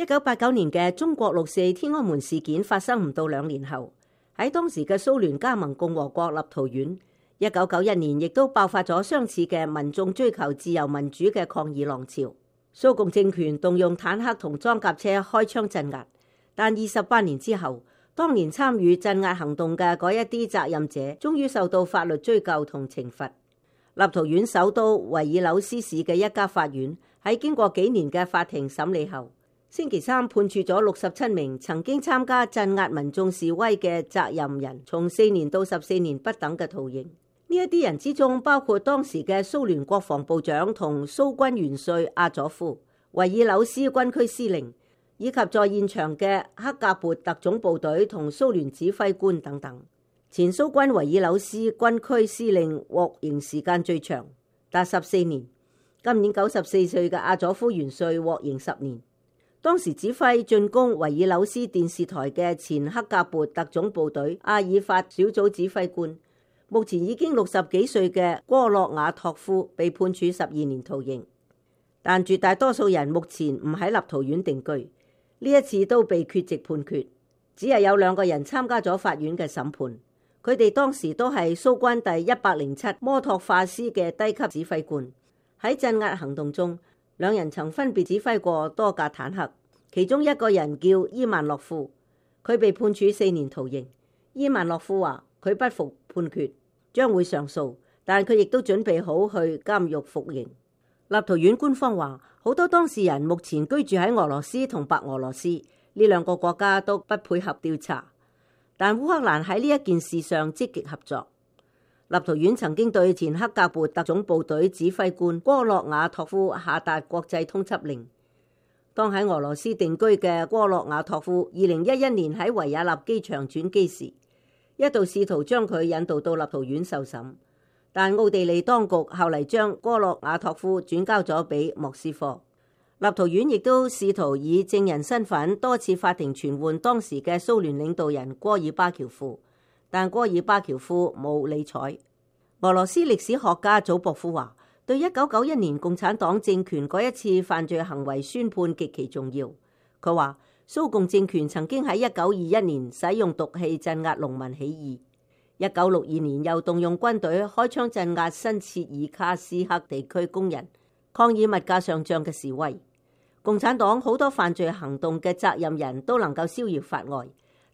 1989年嘅中國6·4天安門事件發生唔到2年後，喺當時嘅蘇聯加盟共和國立陶宛，1991年亦都爆發咗相似嘅民眾追求自由民主嘅抗議浪潮。蘇共政權動用坦克同裝甲車開槍鎮壓，但28年之後，當年參與鎮壓行動嘅嗰一啲責任者，終於受到法律追究同懲罰。立陶宛首都維爾紐斯市嘅一家法院喺經過幾年嘅法庭審理後，星期三判處咗67名曾經參加鎮壓民眾示威嘅責任人，從4年到14年不等嘅徒刑。呢一啲人之中，包括當時嘅蘇聯國防部長同蘇軍元帥阿佐夫、維爾紐斯軍區司令，以及在現場嘅克格勃特種部隊同蘇聯指揮官等等。前蘇軍維爾紐斯軍區司令獲刑時間最長，達14年。今年94歲嘅阿佐夫元帥獲刑10年。當時指揮進攻維爾紐斯電視台嘅前克格勃特種部隊阿爾法小組指揮官，目前已經60幾歲嘅戈洛瓦托夫被判處12年徒刑。但絕大多數人目前唔喺立陶宛定居，呢一次都被缺席判決，只係有2個人參加咗法院嘅審判。佢哋當時都係蘇軍第107摩托化師嘅低級指揮官。喺鎮壓行動中，2人曾分別指揮過多架坦克，其中一個人叫伊萬諾夫，佢被判處4年徒刑。伊萬諾夫話佢不服判決，將會上訴，但佢亦都準備好去監獄服刑。立陶宛官方話，好多當事人目前居住喺俄羅斯同白俄羅斯，呢2個國家都不配合調查，但烏克蘭喺呢一件事上積極合作。立陶宛曾經對前克格勃特種部隊指揮官戈洛瓦托夫下達國際通緝令。當喺俄羅斯定居嘅戈洛瓦托夫2011年喺維也納機場轉機時，一度試圖將佢引渡到立陶宛受審，但奧地利當局後嚟將戈洛瓦托夫轉交咗俾莫斯科。立陶宛亦都試圖以證人身份多次法庭傳喚當時嘅蘇聯領導人戈爾巴喬夫，但戈爾巴喬夫冇理睬。俄羅斯歷史學家祖博夫話，對1991年共產黨政權嗰一次犯罪行為宣判極其重要。佢話蘇共政權曾經喺1921年使用毒氣鎮壓農民起義，1962年又動用軍隊開槍鎮壓新切爾卡斯克地區工人抗議物價上漲嘅示威。共產黨好多犯罪行動嘅責任人都能夠逍遙法外，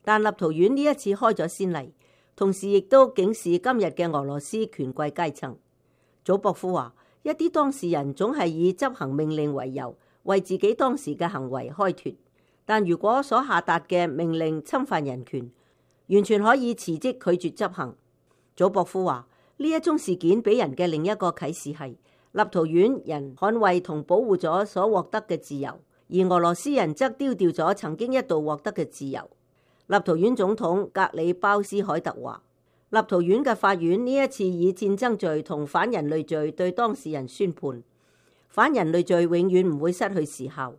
但立陶宛呢一次開咗先例，同時亦都警示今日嘅俄羅斯權貴階層。祖博夫話，一啲當事人總係以執行命令為由，為自己當時嘅行為開脫，但如果所下達嘅命令侵犯人權，完全可以辭職拒絕執行。祖博夫話，呢一宗事件俾人嘅另一個啟示係，立陶宛人捍衛同保護咗所獲得嘅自由，而俄羅斯人則丟掉咗曾經一度獲得嘅自由。立陶宛總統格里鮑斯凱特話，立陶宛嘅法院呢一次以戰爭罪同反人類罪對當事人宣判，反人類罪永遠唔會失去時效。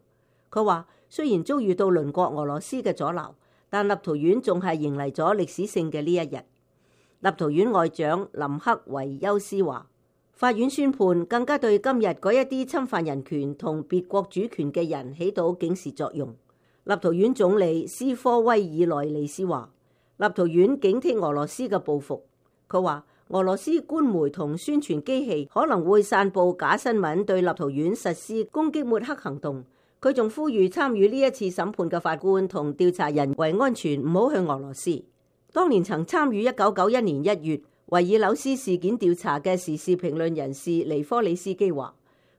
佢話，雖然遭遇到鄰國俄羅斯嘅阻撓，但立陶宛仲係迎嚟咗歷史性嘅呢一日。立陶宛外長林克維休斯話，法院宣判更加對今日嗰一啲侵犯人權同別國主權嘅人起到警示作用。立陶宛總理斯科威爾內利斯話，立陶宛警惕俄羅斯嘅報復。佢話，俄羅斯官媒同宣傳機器可能會散佈假新聞，對立陶宛實施攻擊抹黑行動。佢仲呼籲參與呢一次審判嘅法官同調查人為安全，唔好去俄羅斯。當年曾參與1991年1月維爾紐斯事件調查嘅時事評論人士尼科里斯基話，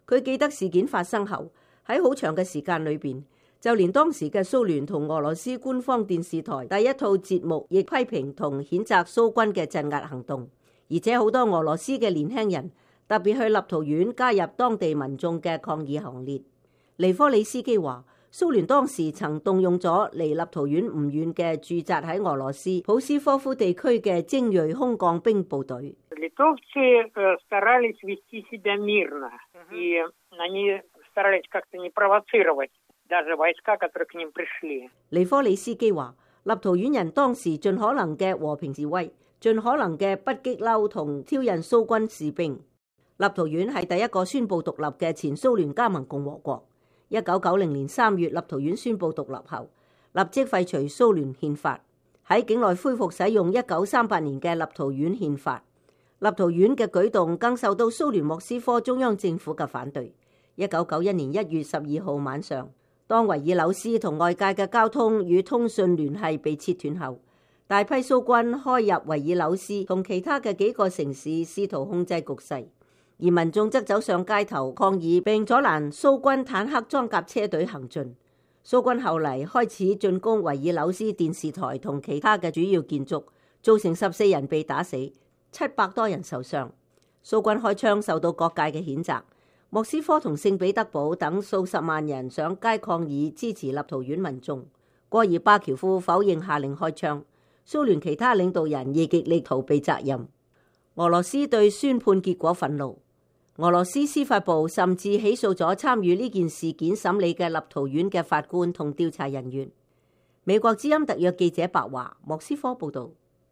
佢記得事件發生後喺好長嘅時間裏邊，就連當時嘅蘇聯同俄羅斯官方電視台第一套節目亦批評同譴責蘇軍嘅鎮壓行動，而且好多俄羅斯嘅年輕人特別去立陶宛加入當地民眾嘅抗議行列。尼科里斯基話，蘇聯當時曾動用咗離立陶宛唔遠嘅駐紮喺俄羅斯普斯科夫地區嘅精銳空降兵部隊。尼科里斯基話，立陶宛人當時盡可能嘅和平示威，盡可能嘅不激嬲同挑釁蘇軍士兵。立陶宛係第一個宣布獨立嘅前蘇聯加盟共和國。1990年3月，立陶宛宣布獨立後，立即廢除蘇聯憲法，喺境內恢復使用1938年嘅立陶宛憲法。立陶宛嘅舉動更受到蘇聯莫斯科中央政府嘅反對。1991年1月12號晚上，當維爾紐斯同外界嘅交通與通訊聯繫被切斷後，大批蘇軍開入維爾紐斯同其他嘅幾個城市，試圖控制局勢，而民眾則走上街頭抗議，並阻攔蘇軍坦克裝甲車隊行進。蘇軍後嚟開始進攻維爾紐斯電視台同其他嘅主要建築，造成14人被打死，700多人受傷。蘇軍開槍受到各界嘅譴責。莫斯科同聖彼得堡等數十萬人上街抗議，支持立陶宛民眾。戈爾巴喬夫否認下令開槍。蘇聯其他領導人亦極力逃避責任。俄羅斯對宣判結果憤怒。俄羅斯司法部甚至起訴咗參與呢件事件審理嘅立陶宛嘅法官同調查人員。美國之音特約記者白華，莫斯科報道。